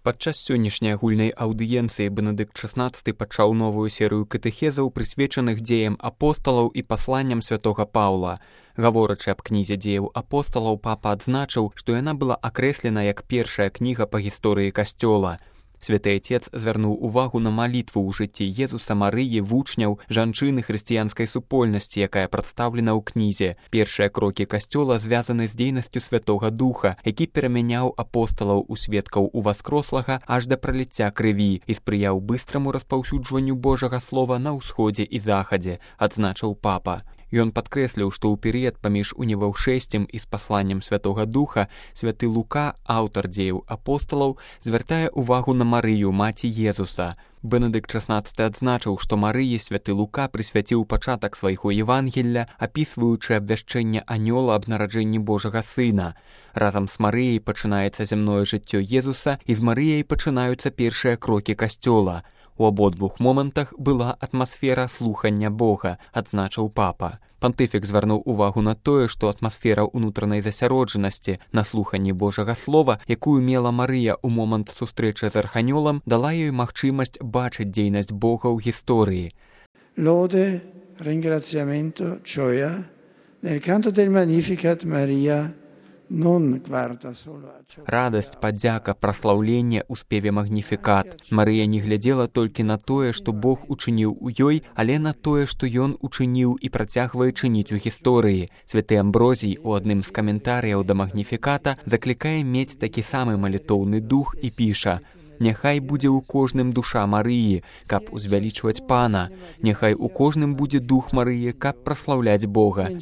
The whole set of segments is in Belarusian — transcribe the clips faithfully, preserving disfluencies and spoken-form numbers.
Падчас сённяшняй агульнай аўдыенцыі Бенедыкт шаснаццаты пачаў новую серыю катэхезаў, прысвечаных дзеям апосталаў і пасланням святога Паўла. Гаворачы аб кнізе дзеяў апосталаў, папа адзначыў, што яна была акрэслена як першая кніга па гісторыі касцёла. Святы Отец звярнуў увагу на малітву ў жыцці Езуса, Марыі, вучняў, жанчыны хрысціянскай супольнасці, якая прадстаўлена ў кнізе. Першыя крокі касцёла звязаны з дзейнасцю Святога Духа, які перамяняў апосталаў у сведкаў уваскрослага аж да праліцця крыві і спрыяў быстраму распаўсюджванню Божага слова на ўсходзе і захадзе, адзначыў папа. Ён падкрэсліў, што ў перыяд паміж уніваўшэсцем і спасланнем Святога Духа святы Лука, аўтар дзеяў апосталаў, звяртае увагу на Марыю, маці Езуса. Бенедыкт шаснаццаты адзначыў, што Марыі святы Лука прысвяціў пачатак свайго Евангелля, апісваючы абвяшчэнне анёла аб нараджэнні Божага Сына. Разам з Марыяй пачынаецца зямное жыццё Езуса, і з Марыяй пачынаюцца першыя крокі касцёла. У абодвух момантах была атмасфера слухання Бога, адзначыў папа. Пантыфік звярнуў увагу на тое, што атмасфера ўнутранай засяроджанасці на слуханні Божага слова, якую мела Марыя ў момант сустрэчы з арханёлам, дала ёй магчымасць бачыць дзейнасць Бога ў гісторыі. Lode, ringraziamento, gioia, nel canto del Magnificat Maria радасць, падзяка, праслаўленне ў спеве магніфікат. Марыя не глядзела толькі на тое, што Бог учыніў у ёй, але на тое, што ён учыніў і працягвае чыніць у гісторыі. Святы Амброзій у адным з каментарыяў да магніфіката заклікае мець такі самы малітоўны дух і піша: «Няхай будзе ў кожным душа Марыі, каб узвялічваць Пана. Няхай у кожным будзе дух Марыі, каб праслаўляць Бога».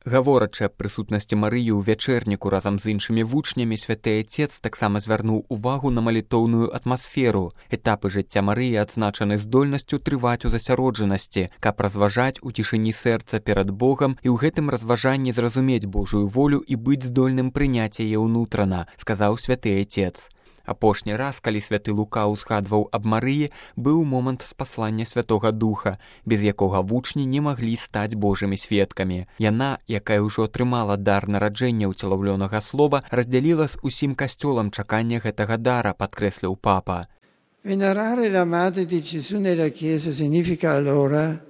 Гаворачы аб прысутнасці Марыі ў вячэрніку разам з іншымі вучнямі, святы Отец таксама звярнуў увагу на малітоўную атмасферу. Этапы жыцця Марыі адзначаны здольнасцю трываць у засяроджанасці, каб разважаць у цішыні сэрца перад Богам і ў гэтым разважанні зразумець Божую волю і быць здольным прыняць яе ўнутрана, сказаў святы Отец. Апошні раз, калі святы Лука ўзгадваў аб Марыі, быў момант спаслання Святога Духа, без якога вучні не маглі стаць Божымі сведкамі. Яна, якая ўжо атрымала дар нараджэння ўцелаўлёнага слова, раздзяліла з усім касцёлам чаканне гэтага дара, падкрэсліў папа. Venerare la Madre di Gesù nella Chiesa significa allora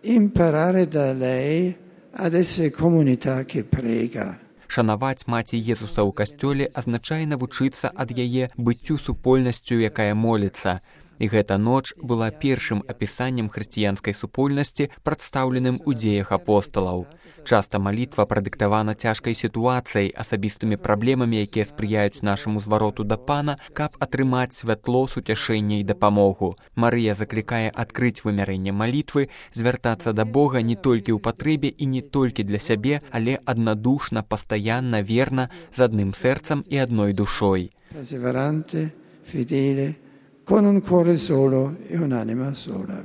imparare da lei ad essere comunità che prega. Шанаваць маці Езуса ў касцёле азначае навучыцца ад яе быццю супольнасцю, якая моліцца. І гэта ноч была першым апісаннем хрысціянскай супольнасці, прадстаўленым у дзеях апосталаў. Часта малітва прадыктавана цяжкай сітуацыяй, асабістымі праблемамі, якія спрыяюць нашаму звароту да Пана, каб атрымаць святло, суцяшэнне і дапамогу. Марыя заклікае адкрыць вымярэнне малітвы, звяртацца да Бога не толькі ў патрэбе і не толькі для сябе, але аднадушна, пастаянна, верна, з адным сэрцам і адной душой. Perseverante, fedele, con un cuore solo e un'anima sola.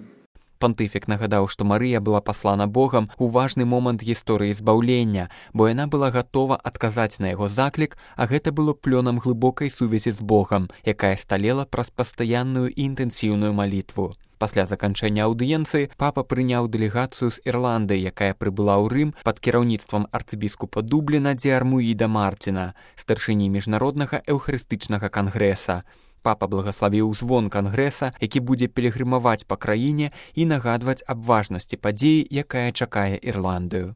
Пантыфік нагадаў, што Марыя была паслана Богам у важны момант гісторыі збаўлення, бо яна была гатова адказаць на яго заклік, а гэта было плёнам глыбокай сувязі з Богам, якая сталела праз пастаянную і інтэнсіўную малітву. Пасля заканчэння аўдыенцыі папа прыняў дэлегацыю з Ірландыі, якая прыбыла ў Рым пад кіраўніцтвам арцыбіскупа Дубліна Дзеармуіда Мартіна, старшыні міжнароднага эўхарыстычнага кангрэса. Папа благаславіў звон кангрэса, які будзе пілігрымаваць па краіне і нагадваць аб важнасці падзеі, якая чакае Ірландыю.